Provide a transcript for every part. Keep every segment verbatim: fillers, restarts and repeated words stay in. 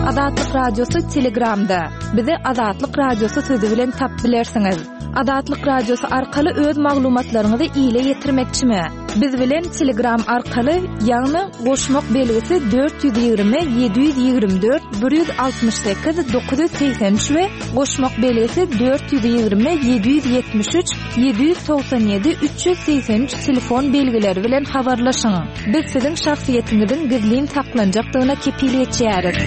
Azatlyk Radiosy Telegramda. Bizi Azatlyk Radiosy sözi bilen tapyp bilersiňiz. Azatlyk Radiosy arkaly öz maglumatlaryňyzy ile ýetirmekçimi? Biz bilen Telegram arkaly, ýagny goşmak belgisi dört ýüz ýigrimi ýedi ýüz ýigrimi dört bir ýüz altmyş sekiz dokuz ýüz segsen üç we goşmak belgisi dört ýüz ýigrimi ýedi ýüz ýetmiş üç ýedi ýüz togsan ýedi üç ýüz segsen üç telefon belgileri bilen habarlaşyň. Biz siziň şahsyýetiňiziň gizlin saklanjakdygyna kepil geçýäris.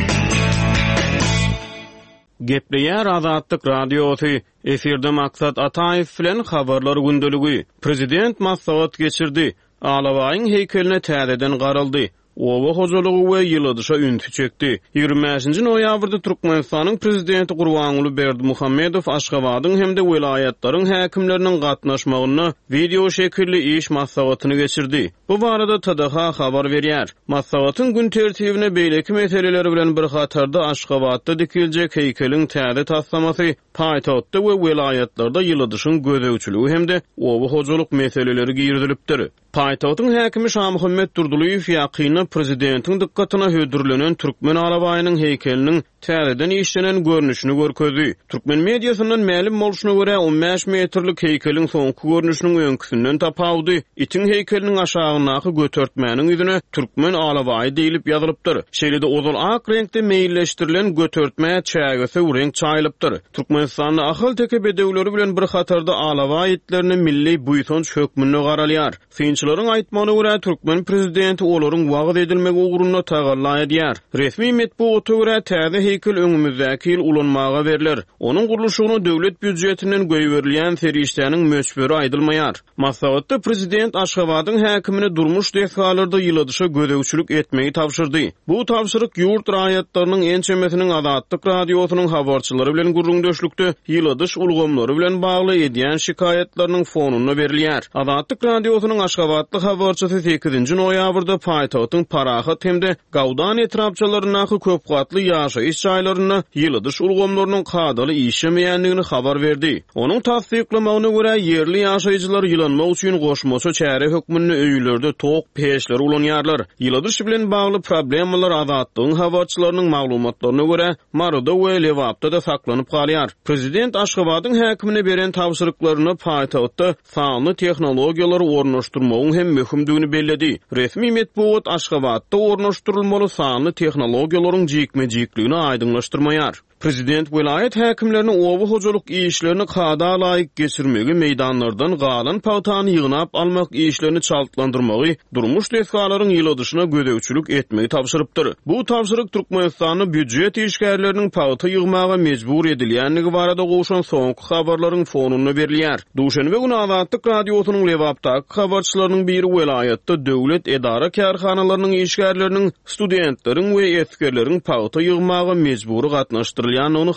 Gepleýär Azatlyk Radiosy. Efirde Maksat Ataýew bilen Habarlar gündeligi. Prezident maslahat geçirdi. Alabaýyň heýkeline täzeden garaldy. Oba hojalygy we ýyladyşa ünsi çekdi. Ýigrimi bäşinji noýabrda Türkmenistanyň Prezidenti Gurbanguly Berdimuhamedow Aşgabadyň hem-de welaýatlaryň häkimleriniň gatnaşmagynda wideo şekilli iş maslahatyny geçirdi. Bu barada T D H habar berýär. Maslahatyň gün tertibine beýleki meseleler bilen bir hatarda Aşgabatda dikiljek heýkeliň täze taslamasy, paýtagtda we welaýatlarda ýyladyşyň gözegçiligi hem-de oba hojalyk meseleleri girizilipdir. Paýtagtyň häkimi Şamuhammet Durdulyýew ýakynda prezidentiň dykgatyna hödürlenen Türkmen alabaýynyň heýkeliniň täzeden işlenen görnüşini görkezdi. Türkmen mediasyndan mälim bolşuna görä on bäş metrlik heýkeliň soňky görnüşiniň öňküsinden tapawudy, itiň heýkeliniň aşagyndaky götertmäniň ýüzüne Türkmen alabaýy diýilip ýazylypdyr. Şeýle-de ozal ak reňkde meýilleşdirilen götertmä çägesi reňk çaýylypdyr. Türkmenistanda ahal-teke bedewleri bilen bir hatarda alabaý itlerine milli buýsanç hökmünde garalýar. Synçylaryň aýtmagyna görä Türkmen prezidenti olaryň wagyz edilmegi ugrunda tagalla edýär. Resmi metbugata görä täze heýkel öňümizdäki ýyl ulanmaga berler. Onuň gurluşygyna döwlet býujetinden goýberilýän serişdäniň möçberi aýdylmaýar. Maslahatda prezident Aşgabadyň häkimine durmuş desgalarda ýyladyşa gözegçilik etmegi tabşyrdy. Bu tabşyryk ýurt raýatlarynyň ençemesiniň Azatlyk radiosynyň habarçylary bilen gürrüňdeşlikde ýyladyş ulgamlary bilen bagly edýän şikaýatlarynyň fonunda berilýär. Azatlyk radiosynyň Aşgabatly habarçysy sekizinji noýabrda paýtagtyň Parahat hem-de Gawdan etrapçalaryndaky köpgatly ýaşaýyş jaýlarynda ýyladyş ulgamlarynyň kadaly işlemeýändigini habar berdi. Onuň tassyklamagyna görä ýerli ýaşaýjylar ýylanmak üçin goşmaça çäre hökmünde öýlerde tok peçleri ulanýarlar. Ýyladyş bilen bagly problemalar Azatlygyň habarçylarynyň maglumatlaryna görä Maryda we Lebapda da saklanyp galýar. Prezident Aşgabadyň häkimine beren tabşyryklaryna paýtagtda sanly tehnologiýalary ornaşdyrmagyň hem möhümdigini belledi. Resmi metbugat Aşgabatda ornaşdyrylmaly sanly tehnologiýalaryň jikme-jikligini aýdyňlaşdyrmaýar. Prezident welaýat häkimlerini oba hojalyk işlerini kada laýyk geçirmegi, meýdanlardan galan pagtany ýygnap almak işlerini çaltlandyrmagy, durmuş desgalaryň ýyladyşyna gözegçilik etmegi tabşyrypdyr. Bu tabşyryk Türkmenistanda býujet işgärleriniň pagta ýygmaga mejbur edilýändigi barada gowşan soňky habarlaryň fonunda berilýär. Duşenbe güni Azatlyk radiosynyň Lebapdaky habarçylarynyň biri welaýatda döwlet edara kärhanalarynyň işgärleriniň, studentleriň we esgerleriň pagta ýygmaga mejbury gatnaşdyrylýandygyny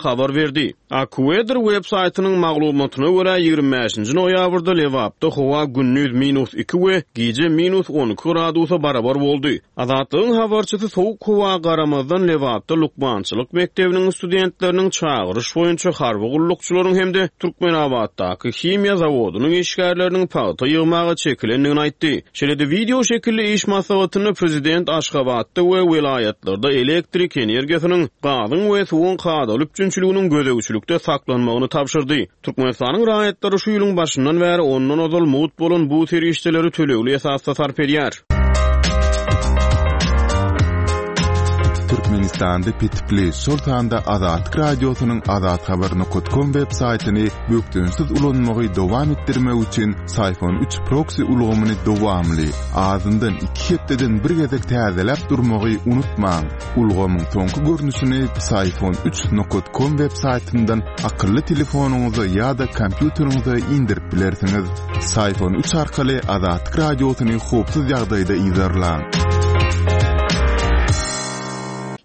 habar berdi. AccuWeather web saýtynyň maglumatyna görä ýigrimi bäşinji noýabrda Lebapda howa gündiz minus iki we gije minus on iki gradusa barabar boldy. Azatlygyň habarçysy sowuk howa garamazdan Lebapda lukmançylyk mekdebiniň studentleriniň çagyryş boýunça harby gullukçylaryň hem-de Türkmenabatdaky himiýa zawodynyň işgärleriniň pagta ýygmaga çekilendigini aýtdy. Şeýle-de wideo şekilli iş maslahatynda prezident Aşgabatda we welaýatlarda elektrik energiýasynyň, gazyň we suwuň kadaly üpjünçiliginiň gözegçilikde saklanmagyny tabşyrdy. Türkmenistanyň raýatlary şu ýylyň başyndan bäri ondan ozal mugt bolan bu serişdeleri tölegli esasda sarp edýär. Türkmenistanda petipli, şol sanda Azatlyk radiosynyň azathabar nokta com web saýtyny bökdençsiz ulanmagy dowam etdirmek üçin Syfon üç proxy ulgamyny dowamly, azyndan iki hepdeden bir gezek täzeläp durmagy unutmaň. Ulgamyň soňky görnüşini Syfon üç nokta com web saýtyndan akylly telefonyňyza ýa-da kompýuteriňize indirip bilersiňiz. Syfon üç arkaly Azatlyk radiosyny howpsuz ýagdaýda yzarlaň.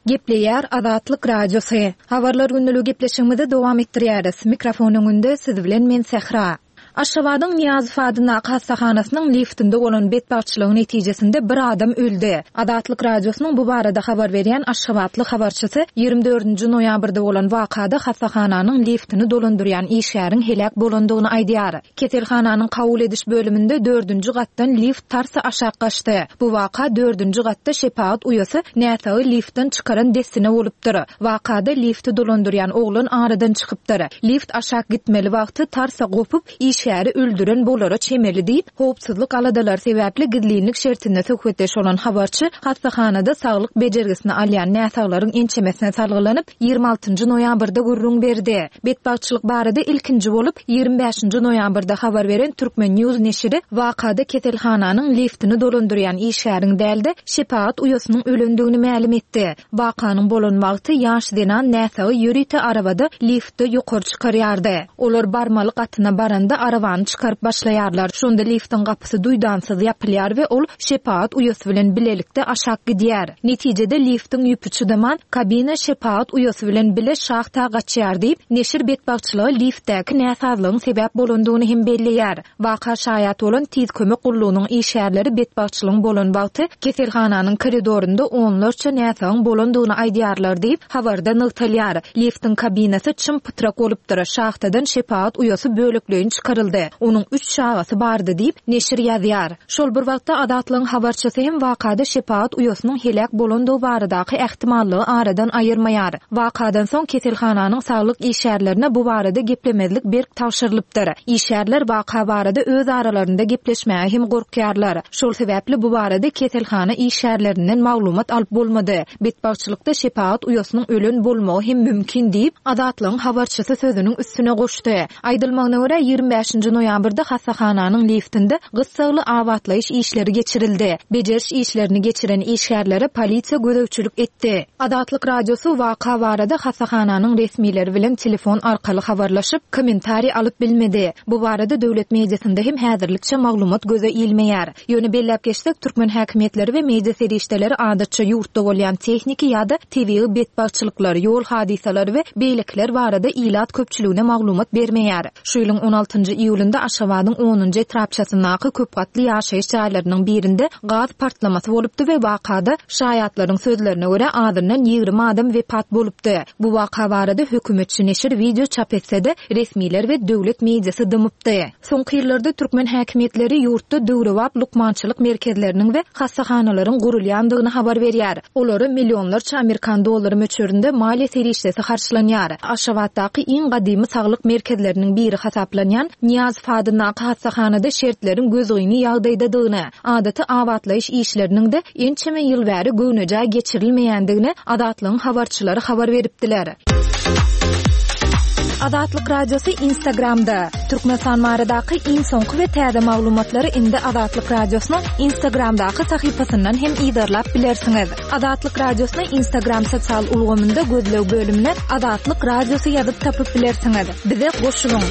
Gepleýär Azatlyk Radiosy. Habarlar günlügi gepleşigimizi dowam etdirýäris. Mikrofon öňünde siz bilen men Sähra. Aşgabadyň Nyýazow adyndaky hassahanasynyň liftinde bolan betbagtçylygyň netijesinde bir adam öldi. Azatlyk Radiosynyň bu barada habar berýän aşgabatly habarçysy ýigrimi dördünji noýabrda bolan wakada hassahananyň liftini dolandyrýan işgäriň heläk bolandygyny aýdýar. Keselhananyň kabul ediş bölüminde dördünji gatdan lift tarsa aşak gaçdy. Bu waka dördünji gatda şepagat uýasy näsagy liftden çykaran dessine bolupdyr. Wakada lifti dolandyrýan oglan aradan çykypdyr. Lift aşak gitmeli wagty tarsa gopup, işgäri öldüren bolara çemeli diýip, howpsuzlyk aladalary sebäpli gizlinlik şertinde söhbetdeş bolan habarçy hassahanada saglyk bejergisini alýan näsaglaryň ençemesine salgylanyp, ýigrimi altynjy noýabrda gürrüň berdi. Betbagtçylyk barada ilkinji bolup, ýigrimi bäşinji noýabrda habar beren Türkmen News neşiri wakada keselhananyň liftini dolandyrýan işgäriň dälde şepagat uýasynyň ölendigini mälim etdi. Wakanyň bolan wagty ýaş zenan näsagy ýörite arabada liftde ýokary çykarýardy. Olar barmaly gatyna baranda arabany çykaryp başlaýarlar. Şonda liftiň gapysy duýdansyz ýapylýar we ol şepagat uýasy bilen bilelikde aşak gidýär. Netijede liftiň ýüpi çydaman, kabina şepagat uýasy bilen bile şahta gaçýar diýip, neşir betbagtçylyga liftdäki näsazlygyň sebäp bolandygyny hem belleýär. Waka şaýat bolan tiz kömek gullugynyň işgärleri betbagtçylygyň bolan wagty keselhananyň koridorynda onlarça näsagyň bolandygyny aýdýarlar diýip, habarda nygtalýar. Liftiň kabinasy çym pytrak bolupdyr. Şahtadan şepagat uýasy bölekleýin çykaryldy. Onuň üç çagasy bardy diýip, neşir ýazýar. Şol bir wagtda Azatlygyň habarçysy hem wakada şepagat uýasynyň heläk bolandygy baradaky ähtimallygy aradan aýyrmaýar. Wakadan soň keselhananyň saglyk işgärlerine bu barada geplemezlik berk tabşyrylypdyr. Işgärler waka barada öz aralarynda gepleşmäge hem gorkýarlar. Şol sebäpli bu barada keselhana işgärlerinden maglumat alyp bolmady. Betbagtçylykda şepagat uýasynyň ölen bolmagy hem mümkin diýip, Azatlygyň habarçysy sözüniň üstüne goşdy. Aýdylmagyna görä ýigrimi bäşinji noýabrda hassahananyň liftinde gyssagly abatlaýyş işleri geçirildi. Bejeriş işlerini geçiren işgärlere polisiýa gözegçilik etdi. Azatlyk Radiosy waka barada hassahananyň resmileri bilen telefon arkaly habarlaşyp, kommentariý alyp bilmedi. Bu barada döwlet mediasynda hem häzirlikçe maglumat göze ilmeýär. Ýöne belläp geçsek, türkmen häkimiýetleri we media serişdeleri adatça ýurtda bolýan tehniki ýa-da tebigy betbagtçylyklar, ýol hadysalary we beýlekiler barada ilat köpçüligine maglumat bermeýär. Şu ýylyň on altynjy iýulynda Aşgabadyň onunjy etrapçasyndaky köp gatly ýaşaýyş jaýlarynyň birinde gaz partlamasy bolupdy we wakada şaýatlaryň sözlerine görä azyndan ýigrimi adam wepat bolupdy. Bu waka barada hökümetçi neşir video çap etse-de resmiler we döwlet mediasy dymypdy. Soňky ýyllarda türkmen häkimiýetleri ýurtda döwrebap lukmançylyk merkezleriniň we hassahanalaryň gurulýandygyny habar berýär. Olara millionlarça Amerikan dollary möçberinde maliýe serişdesi harçlanýar. Aşgabatdaky iň gadymy saglyk merkezleriniň biri hasaplanýan Nyýazow adyndaky hassahanada şertleriň gözgyny ýagdaýdadygyny, adaty abatlaýyş işleriniň de ençeme ýyl bäri göwnejaý geçirilmeýändigini Azatlygyň habarçylary habar beripdiler. Azatlyk Radiosy Instagramda. Türkmenistan baradaky iň soňky we täze maglumatlary indi Azatlyk Radiosynyň Instagramdaky sahypasyndan hem yzarlap bilersiňiz. Azatlyk Radiosyny Instagram sosial ulgamynda gözleg bölümine Azatlyk Radiosy ýazyp tapyp bilersiňiz. Bize goşulyň.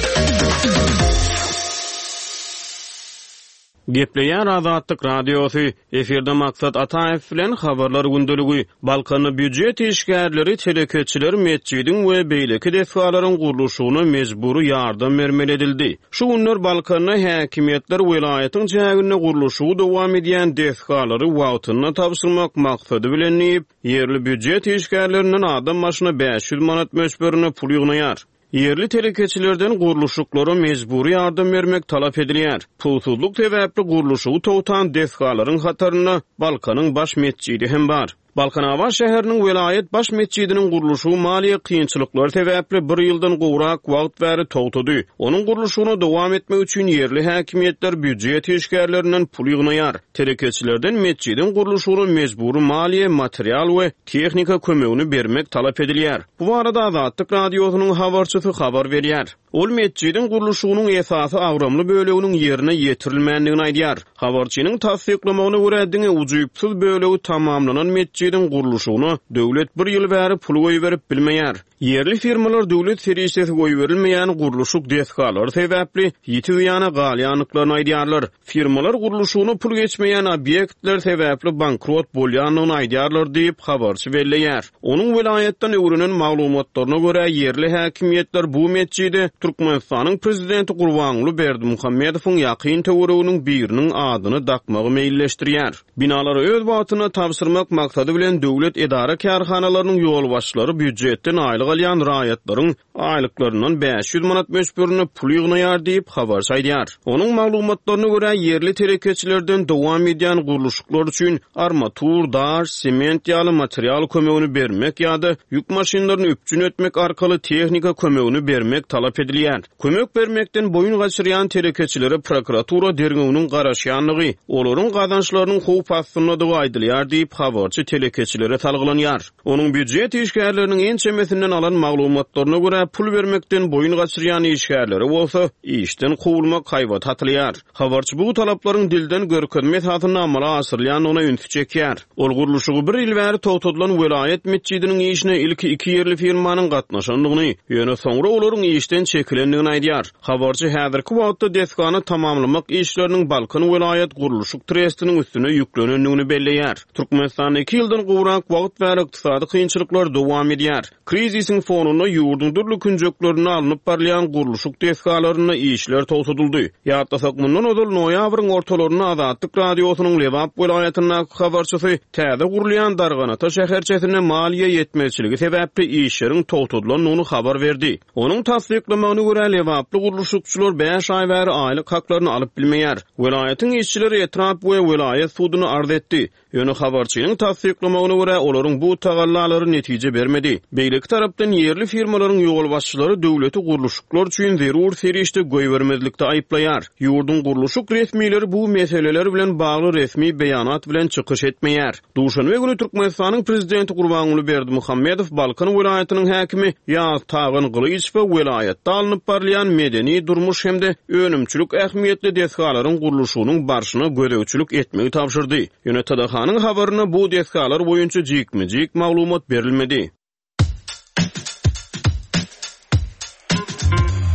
Gepleýär Azatlyk Radiosy, efirde Maksat Ataýew bilen habarlar gündeligi. Balkanda býujet işgärleri, telekeçiler metjidiň we beýleki desgalaryň gurluşygyna mejbury ýardam bermeli edildi. Şu günler Balkanda häkimiýetler welaýatyň çäginde gurluşygy dowam edýän desgalary wagtynda tabşyrmak maksady bilen diýip, ýerli býujet işgärlerinden adam başyna bäş ýüz manat möçberinde pul ýygnaýar. Ýerli telekeçilerden gurluşyklara mejbury ýardam bermek talap edilýär. Pulsuzlyk sebäpli gurluşygy togtan desgalaryň hatarynda Balkanyň baş metjidi hem bar. Balkanabat şäheriniň welaýat baş metjidiniň gurluşygy maliýe kynçylyklary sebäpli bir ýyldan gowrak wagt bäri togtady. Onuň gurluşygyna dowam etmek üçin ýerli häkimiýetler býujet işgärlerinden pul ýygnaýar. Telekeçilerden metjidiň gurluşygyna mejbury maliýe, material we tehnika kömegini bermek talap edilýär. Bu barada Azatlyk Radiosynyň habarçysy habar berýär. Ol metjidiň gurluşygynyň esasy agramly böleginiň ýerine ýetirilmändigini aýdýar. Habarçynyň tassyklamagyna görä diňe ujypsyz bölegi tamamlanan metjidiň gurluşygyna döwlet bir ýyl bäri pul goýberip bilmeýär. Ýerli firmalar döwlet serişdesi goýberilmeýän gurluşyk desgalary sebäpli ýiti zyýana galýandyklaryny aýdýarlar. Firmalar gurluşygyna pul geçmeýän obýektler sebäpli bankrot bolýandygyny aýdýarlar diýip, habarçy belleýär. Onuň welaýatdan öwrenen maglumatlaryna görä, ýerli häkimiýetler bu metjide Türkmenistanyň prezidenti Gurbanguly Berdimuhamedowyň ýakyn töwereginiň biriniň adyny dakmagy meýilleşdirýär. Binalary öz wagtynda tabşyrmak maksady bilen döwlet edara-kärhanalarynyň ýolbaşçylary býujetden aýlyk alýan raýatlaryň aýlyklaryndan bäş ýüz manat möçberinde pul ýygnaýar diýip, habarçy aýdýar. Onuň maglumatlaryna görä, ýerli telekeçilerden dowam edýän gurluşyklar üçin armatur, daş, sement ýaly material kömegini bermek ýa-da ýük maşynlaryny üpjün etmek arkaly tehnika kömegini bermek talap edilýär. Kömek bermekden boýun gaçyrýan telekeçilere prokuratura derňewiniň garaşýandygy, olaryň gazançlarynyň howp astyndadygy aýdylýar diýip, habarçy telekeçilere salgylanýar. Onuň býujet işgärleriniň ençemesinden alan maglumatlaryna görä, pul bermekden boýun gaçyrýan işgärlere bolsa işden kowulmak haýbaty atylýar. Habarçy bu talaplaryň dilden görkezme esasynda amala aşyrylýandygyna ünsi çekýär. Ol gurluşygy bir ýyl bäri togtadylan welaýat metjidiniň işine ilki iki ýerli firmanyň gatnaşandygyny, ýöne soňra olaryň işden çekilendigini aýdýar. Habarçy häzirki wagtda desgany tamamlamak işleriniň Balkan welaýat gurluşyk trestiniň üstüne ýüklenendigini belleýär. Türkmenistanda iki ýyldan gowrak wagt bäri ykdysady kynçylyklar dowam edýär. Krizisiň fonunda ýurduň dürli künjeklerinde alnyp barylýan gurluşyk desgalarynda işler togtadyldy. Ýatlasak, mundan ozal noýabryň ortalarynda Azatlyk Radiosynyň Lebap welaýatyndaky habarçysy täze gurulýan Darganata şäherçesinde maliýe ýetmezçiligi sebäpli işleriň togtadylandygyny habar berdi. Onuň tassyklamagyna görä, lebaply gurluşykçylar bäş aý bäri aýlyk haklaryny alyp bilmeýär. Welaýatyň işçileri etrap we welaýat suduna arz etdi. Ýöne habarçynyň tassyklamagyna görä, olaryň bu tagallalary netije bermedi. Beýleki tarapdan ýerli firmalaryň ýolbaşçylary döwleti gurluşyklar üçin zerur serişde goýbermezlikde aýyplaýar. Ýurduň gurluşyk resmileri bu meseleler bilen bagly resmi beýanat bilen çykyş etmeýär. Duşenbe güni Türkmenistanyň prezidenti Gurbanguly Berdimuhamedow Balkan welaýatynyň häkimi Ýaz Tagan Gylyçowa welaýatda alnyp barylýan medeni, durmuş hem-de önümçilik ähmiýetli desgalaryň gurluşygynyň barşyna gözegçilik etmegi tabşyrdy. Ýöne T D H-nyň habarynda bu desgalar boýunça jikme-jik maglumat berilmedi.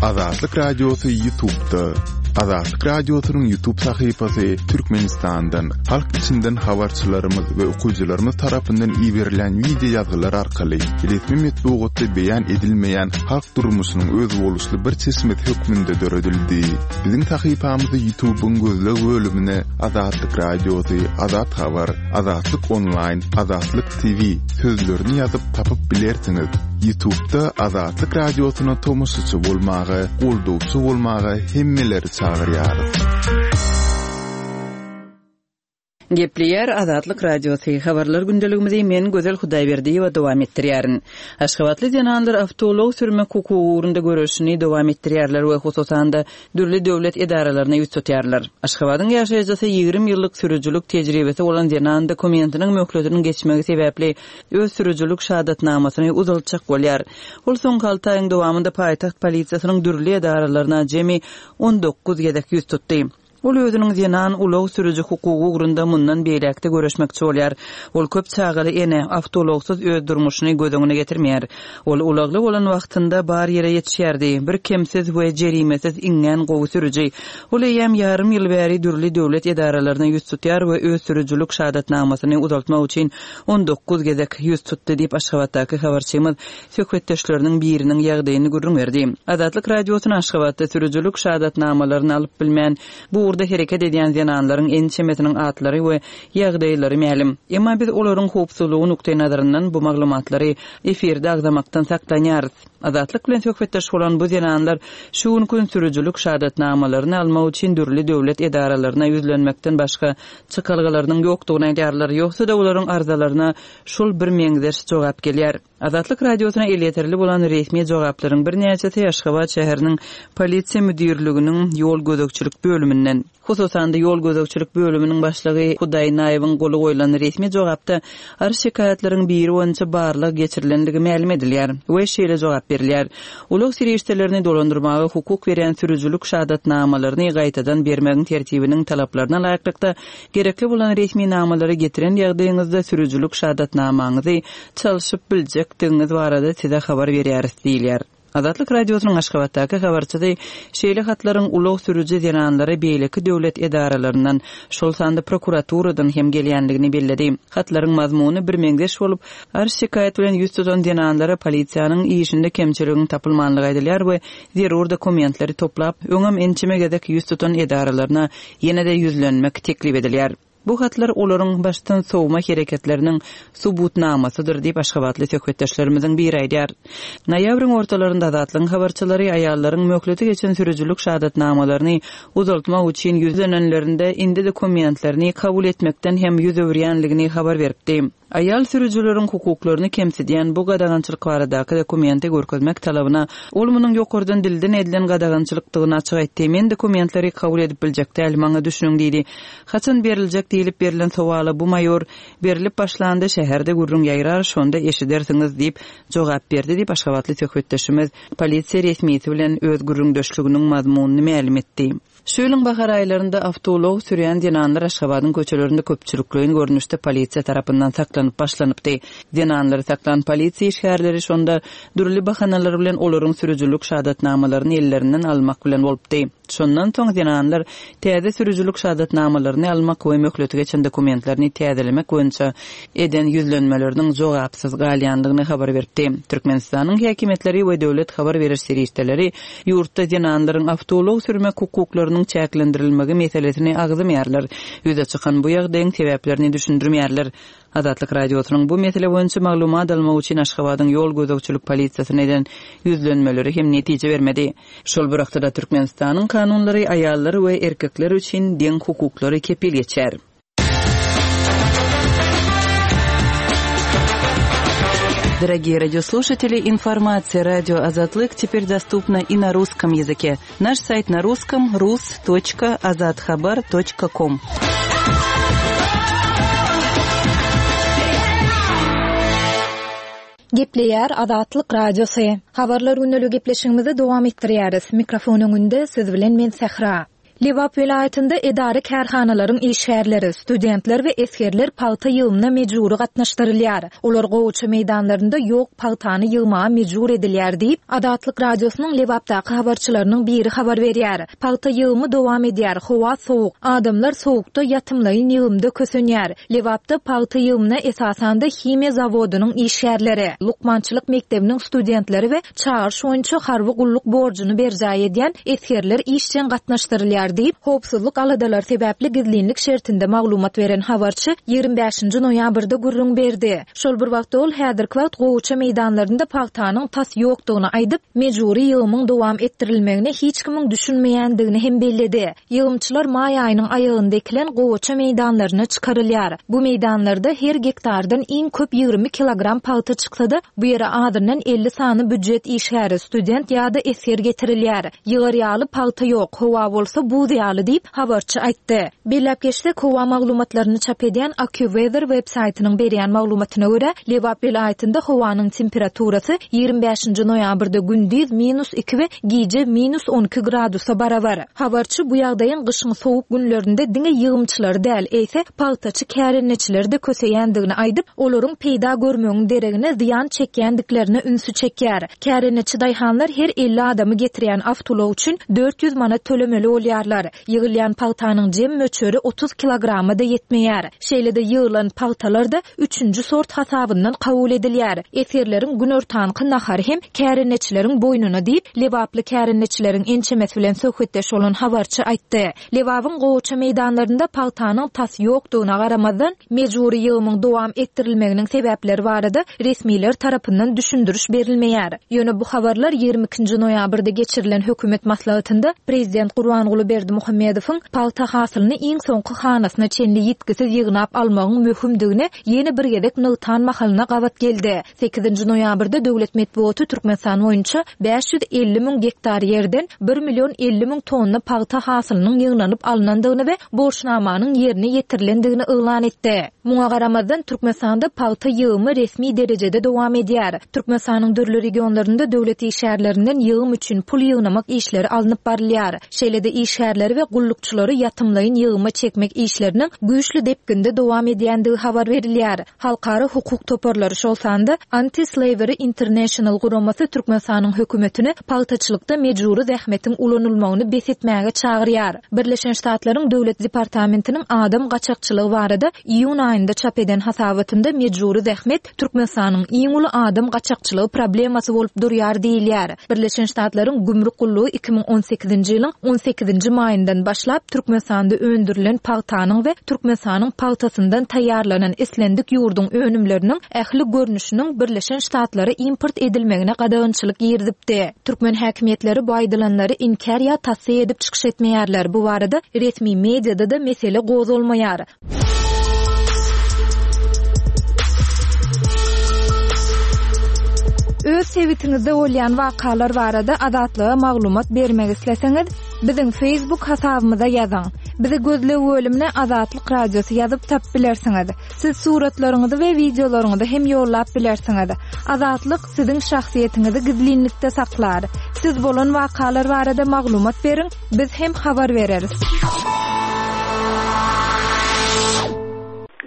Azatlyk Radiosy YouTube'da. Azatlyk Radiosynyň YouTube sahypasy Türkmenistandan, halk içinden habarçylarymyz we okyjylarymyz tarapyndan iberilen video ýazgylar arkaly resmi metbugatda beýan edilmeýän halk durmuşynyň özboluşly bir çeşmesi hökmünde döredildi. Biziň sahypamyzy YouTube'yň gözleg bölümine Azatlyk Radiosy, Azat Habar, Azatlyk Online, Azatlyk T V sözlerini ýazyp tapyp bilersiňiz. YouTube'da Azatlyk Radiosyna tomaşaçy bolmaga, goldawçy bolmaga hemmeleri çagyrýarys. Gepleýär Azatlyk Radiosy. Habarlar gündeligimizi men Gözel Hudaýberdiýewa dowam etdirýärin. Aşgabatly zenanlar awtoulag sürmek hukugy ugrunda göreşini dowam etdirýärler we hususan-da dürli döwlet edaralaryna ýüz tutýarlar. Aşgabadyň ýaşaýjysy ýigrimi ýyllyk sürüjilik tejribesi bolan zenan dokumentiniň möhletiniň geçmegi sebäpli öz sürüjilik şahadatnamasyny uzaltjak bolýar. Ol soňky alty aýyň dowamynda paýtagt polisiýasynyň dürli edaralaryna jemi on dokuz gezek ýüz tutdy. Ol özüniň zenan ulag sürüji hukugy ugrunda mundan beýläkde görüşmekçi bolýar. Ol köp çagaly ene awtoulagsyz öz durmuşyny göz öňüne getirmeýär. Ol ulagly bolan wagtynda bar ýere ýetişýärdi. Bir kemsiz we jerimesiz iňňän gowy sürüji. Ol eýýäm ýarym ýyl bäri dürli döwlet edaralaryna ýüz tutýar we öz sürüjilik şahadatnamasyny uzaltmak üçin on dokuz gezek ýüz tutdy diýip Aşgabatdaky habarçymyz söhbetdeşleriniň biriniň ýagdaýyny gürrüň berdi. Azatlyk Radiosyna Aşgabatda sürüjilik şahadatnamalaryny alyp bilmän bu ugurda hereket edýän zenanlaryň ençemesiniň atlary we ýagdaýlary mälim. Emma biz olaryň howpsuzlygy nukdaý nazaryndan bu maglumatlary efirde agzamakdan saklanýarys. Azatlyk bilen söhbetdeş bolan bu zenanlar şu gün sürüjilik şahadatnamalaryny almak üçin dürli döwlet edaralaryna ýüzlenmekden başga çykalgalarynyň ýokdugyny aýdýarlar. Ýogsa-da olaryň arzalaryna şol bir meňzeş jogap gelýär. Azatlyk Radiosyna elýeterli bolan resmi jogaplaryň birnäçesi Aşgabat şäheriniň polisiýa müdirliginiň ýol gözegçilik bölüminden. Hususan-da ýol gözegçilik bölüminiň başlygy Hudaýnaýewiň goly goýlan resmi jogapda arz şikaýatlaryň biri boýunça barlag geçirilendigi mälim edilýär we şeýle jogap berilýär. Ulag serişdelerini dolandyrmaga hukuk berýän sürüjilik şahadatnamalaryny gaýtadan bermegiň tertibiniň talaplaryna laýyklykda gerekli bolan resmi namalary getiren ýagdaýyňyzda sürüjilik şahadatnamaňyzy çalşyp biljek etjekdigiňiz barada size habar berýäris diýilýär. Azatlyk Radiosynyň Aşgabatdaky habarçysy şeýle hatlaryň ulag sürüji zenanlara beýleki döwlet edaralaryndan, şol sanda prokuraturadan hem gelýändigini belledi. Hatlaryň mazmuny birmeňzeş bolup, arz-şikaýat bilen ýüz tutan zenanlara polisiýanyň işinde kemçiligiň tapylmanlygy aýdylýar we zerur dokumentleri toplap, öňem ençeme gezek ýüz tutan edaralaryna ýene-de ýüzlenmek teklip edilýär. Bu hatlar olaryň başdan sowma hereketleriniň subutnamasydyr diýip Aşgabatly söhbetdeşlerimiziň biri aýdýar. Noýabryň ortalarynda Azatlygyň habarçylary aýallaryň möhleti geçen sürüjilik şahadatnamalaryny uzaltmak üçin ýüzlenenlerinde indi dokumentlerini kabul etmekden hem ýüz öwürýänligini habar beripdi. Aýal sürüjileriň hukuklaryny kemsidýän bu gadagançylyk baradaky dokumenti görkezmek talabyna ol munuň ýokardan dilden edilen gadagançylykdygyny açyk aýtdy. Men dokumentleri kabul edip biljek däl, maňa düşüniň diýdi. Haçan beriljek diýlip berlen sowala bu maýor berilip başlanda şäherde gürrüň ýaýrar, şonda eşidersiňiz diýip jogap berdi diýip Aşgabatly söhbetdeşimiz polisiýa resmisi bilen öz gürrüňdeşliginiň mazmunyny mälim etdi. Şu ýylyň bahar aýlarynda awtoulag sürýän zenanlar Aşgabadyň köçelerinde köpçülikleýin görnüşde polisiýa tarapyndan saklanyp başlanypdy. Zenanlary saklan polisiýa işgärleri şonda dürli bahanalar bilen olaryň sürüjilik şahadatnamalaryny ellerinden almak bilen bolupdy. Şondan soň zenanlar täze sürüjilik şahadatnamalaryny almak we möhleti geçen dokumentlerini täzelemek boýunça eden ýüzlenmeleriniň jogapsyz galýandygyny habar beripdi. Türkmenistanyň häkimiýetleri we döwlet habar beriş serişdeleri ýurtda zenanlaryň awtoulag sürmek hukuklarynyň çäklendirilmegi meselesini agzamaýarlar. Ýüze çykan bu ýagdaýyň sebäplerini düşündirmeýärler. Azatlyk Radiosynyň bu mesele boýunça maglumat almak üçin Aşgabadyň ýol gözegçilik polisiýasyna eden ýüzlenmeleri hem netije bermedi. Şol bir wagtda Türkmenistanyň kanunlary aýallar we erkekler üçin deň hukuklary kepil geçýär. Дорогие радиослушатели, информация радио Азатлык теперь доступна и на русском языке. Наш сайт на русском rus.azathabar.com. Gepleýär Azatlyk Radiosy. Habarlar gündelik gepleşigimizi dowam etdirýäris. Mikrofon öňünde siz bilen men Sähra. Lebap welaýatynda edara kärhanalaryň işgärleri, studentler we esgerler pagta ýygymyna mejbury gatnaşdyrylýar. Olar gowaça meýdanlarynda ýok pagtany ýygmaga mejbur edilýär diýip, Azatlyk Radiosynyň Lebapdaky habarçylarynyň biri habar berýär. Pagta ýygymy dowam edýär, howa sowuk, adamlar sowukda ýatymlaýyn ýygymda kösenýär. Lebapda pagta ýygymyna esasanda himiýa zawodynyň işgärleri, lukmançylyk mekdebiniň studentleri we çagyryş boýunça harby gulluk borjuny berjaý edýän esgerler işjeň gatnaşdyrylýar diýip, howpsuzlyk aladalary sebäpli gizlinlik şertinde maglumat beren habarçy ýigrimi bäşinji noýabrda gürrüň berdi. Şol bir wagtda ol häzirki wagt gowaça meýdanlarynda pagtanyň tas ýokdugyny aýdyp, mejbury ýygymyň dowam etdirilmegine hiç kimiň düşünmeýändigini hem belledi. Ýygymçylar maý aýynyň aýagynda ekilen gowaça meýdanlaryna çykarylýar. Bu meýdanlarda her gektardan iň köp ýigrimi kilogram pagta çyksa-da, bu ýere azyndan elli sany býujet işgäri, student ýa-da esger getirilýär. Ýygar ýaly pagta ýok, howa bolsa buz ýaly diýip habarçy aýtdy. Belläp geçsek, howa maglumatlaryny çap edýän AccuWeather web saýtynyň berýän maglumatyna görä, Lebap welaýatynda howanyň temperaturasy ýigrimi bäşinji noýabrda gündiz minus iki we gije minus on iki gradusa barabar. Habarçy bu ýagdaýyň gyşyň sowuk günlerinde diňe ýygymçylary däl, eýse pagtaçy kärendeçileri de köseýändigini aýdyp, olaryň peýda görmegiň deregine zyýan çekýändiklerine ünsi çekýär. Kärendeçi daýhanlar her elli adamy getirýän awtoulag üçin dört ýüz manat tölemeli bolýarlar. Ýygylýan pagtanyň jem möçberi otuz kilograma da ýetmeýär. Şeýle-de ýygylan pagtalar da üçünji sort hasabyndan kabul edilýär. Esgerleriň günortanky nahary hem kärendeçileriň boýnuna diýip, Lebaply kärendeçileriň ençemesi bilen söhbetdeş bolan habarçy aýtdy. Lebabyň gowaça meýdanlarynda pagtanyň tas ýokdugyna garamazdan, mejbury ýygymyň dowam etdirilmeginiň sebäpleri barada resmiler tarapyndan düşündiriş berilmeýär. Ýöne bu habarlar ýigrimi ikinji noýabrda geçirilen hökümet maslahatynda Prezident Gurbanguly Berdimuhamedowyň pagta hasylyny iň soňky hanasyna çenli ýitgisiz ýygnap almagyň möhümdigini ýene bir gezek nygtan mahalyna gabat geldi. Sekizinji noýabrda döwlet metbugaty Türkmenistan boýunça bäş ýüz elli müň gektar ýerden bir million elli müň tonna pagta hasylynyň ýygnanyp alynandygyny we borçnamanyň ýerine ýetirilendigini yglan etdi. Muňa garamazdan Türkmenistanda pagta ýygymy resmi derejede dowam edýär. Türkmenistanyň dürli regionlarynda döwlet işgärlerinden ýygym üçin pul ýygnamak işleri alnyp barylýar. Şeýle-de işgärleriň işgärleri we gullukçylary ýatymlaýyn ýygyma çekmek işleriniň güýçli depginde dowam edýändigi habar berilýär. Halkara hukuk toparlary, şol sanda Anti-Slavery International guramasy Türkmenistanyň hökümetini pagtaçylykda mejbury zähmetiň ulanylmagyny bes etmäge çagyrýar. Birleşen Ştatlaryň Döwlet departamentiniň adam gaçakçylygy barada iýun aýynda çap eden hasabatynda mejbury zähmet Türkmenistanyň iň uly adam gaçakçylygy problemasy bolup durýar diýilýär. Birleşen Ştatlaryň Gümrük gullugy iki müň on sekizinji ýylyň on sekizinji maýyndan başlap Türkmenistanda öndürilen pagtanyň we Türkmenistanyň pagtasyndan taýýarlanan islendik ýurduň önümleriniň ähli görnüşiniň Birleşen Ştatlara import edilmegine gadagançylyk girizipdi. Türkmen häkimiýetleri bu aýdylanlary inkär ýa tassyk edip çykyş etmeýärler. Bu barada resmi mediada-da mesele gozgalmaýar. Öz sebitiňizde bolýan wakalar barada Azatlyga maglumat bermek isleseňiz, biziň Facebook hasabymyza ýazyň. Bizi gözleg bölümine Azatlyk Radiosy ýazyp tapyp bilersiňiz. Siz suratlaryňyzy we wideolaryňyzy hem ýollap bilersiňiz. Azatlyk siziň şahsyýetiňizi gizlinlikde saklar. Siz bolan wakalar barada maglumat beriň, biz hem habar bereris.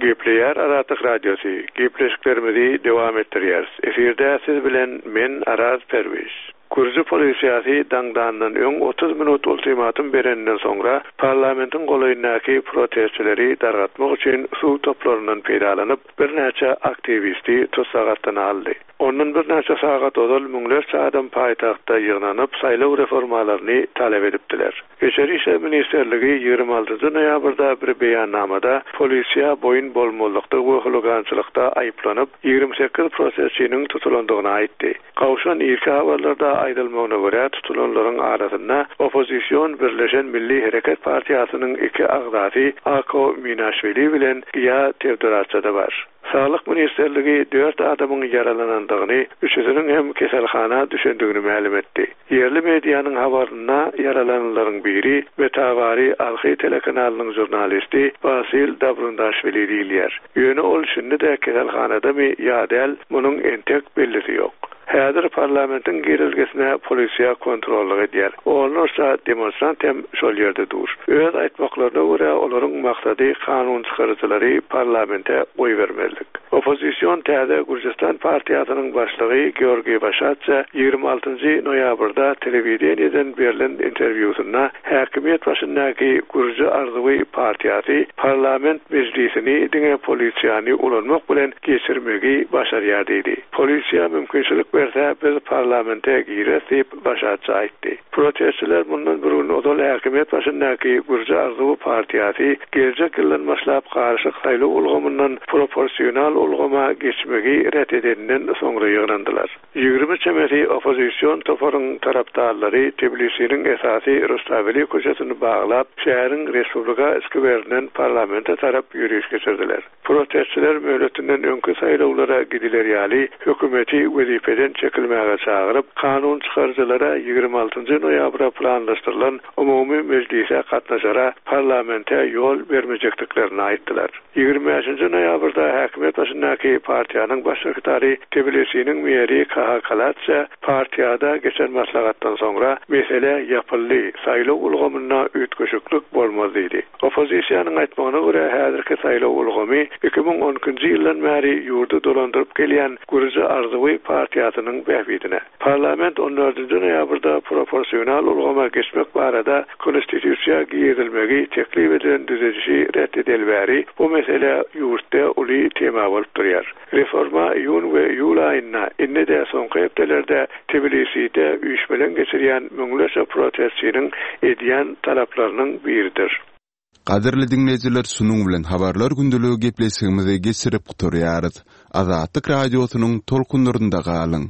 Gepleýär Azatlyk Radiosy. Gepleşiklerimizi dowam etdirýäris. Efirde siz bilen men Araz Perwiş. Gürji polisiýasy daňdandan öň otuz minut ultimatum bereninden soňra parlamentiň golaýyndaky protestçileri dargatmak üçin suw toplaryndan peýdalanyp birnäçe aktiwisti tussag astyna aldy. Ondan birnäçe sagat ozal müňlerçe adam paýtagtda ýygnanyp saýlaw reformalaryny talap edipdiler. Içeri Işler Ministerligi ýigrimi altynjy noýabrda bir beýannamada polisiýa boýun bolmazlykda we huligançylykda aýyplanyp ýigrimi sekiz protestçiniň tutulandygyny aýtdy. Gawşan irki habarlarda aýdylmagyna görä tutulanlaryň arasynda oppozision Birleşen Milli Hereket Partiýasynyň iki agzasy Ako Minaşwili bilen Giýa Tewdoratça-da bar. Sağlyk Ministerligi dört adamyň ýaralanandygyny, üçüsiniň hem keselhana düşendigini mälim etdi. Ýerli medianyň habarynda ýaralananlaryň biri Metawari Arhi telekanalynyň jurnalisti Basil Dabrundaşwili diýilýär. Ýöne ol şindi-de keselhanadamy ýa däl, munuň entek bellisi ýok. Häzir parlamentiň girelgesine polisiýa kontrollyk edýär. Onlarça demonstrant hem şol ýerde dur. Öz aýtmaklaryna görä olaryň maksady kanun çykaryjylary parlamente goýbermezlik. Oppozision Täze Gürjistan partiýasynyň başlygy Georgiý Waşatça ýigrimi altynjy noýabrda telewideniýeden berlen interwýusynda häkimiýet başyndaky Gürji Arzuwy partiýasy parlament mejlisini diňe polisiýany ulanmak bilen geçirmegi başarýar diýdi. Polisiýa mümkinçilik berse biz parlamente girer diýip Waşatça aýtdy. Protestçiler mundan bir gün ozal häkimiýet başyndaky Gürji Arzuwy partiýasy geljek ýyldan başlap garyşyk saýlaw ulgamyndan proporsional ulgama geçmegi ret edeninden soňra ýygnandylar. Ýigrimi çemesi oppozision toparyň tarapdarlary Tbilisiniň esasy Rustaveli köçesini baglap, şäheriň Respublika skwerinden parlamente tarap ýöriş geçirdiler. Protestçiler möhletinden öňki saýlawlara gidiler ýaly hökümeti wezipeden çekilmäge çagyryp, kanun çykaryjylara ýigrimi altynjy noýabra planlaşdyrylan umumy mejlise gatnaşara parlamente ýol bermejekdiklerini aýtdylar. Ýigrimi bäşinji noýabrda häkimiýet başyndaky partiýanyň baş sekretary Tbilisiniň meri Kaha Kalatça partiýada geçen maslahatdan soňra mesele ýapyldy, saýlaw ulgamynda üýtgeşiklik bolmaz diýdi. Oppozisiýanyň aýtmagyna görä häzirki saýlaw ulgamy iki müň on ikinji ýyldan bäri ýurdy dolandyryp gelýän Gürji Arzuwy partiýasynyň bähbidine. Parlament on dördünji noýabrda proporsional ulgama geçmek barada konstitusiýa girizilmegi teklip edilen düzedişi ret edeli bäri bu mesele ýurtda uly tema bolup durýar. Reforma iýun we iýul aýynda indi-de soňky hepdelerde Tbiliside üýşmeleň geçirýän müňlerçe protestçiniň edýän talaplarynyň biridir. Gadyrly dinleýjiler, şunuň bilen habarlar gündeligi gepleşigimizi geçirip gutarýarys. Azatlyk radiosynyň tolkunlarynda galyň.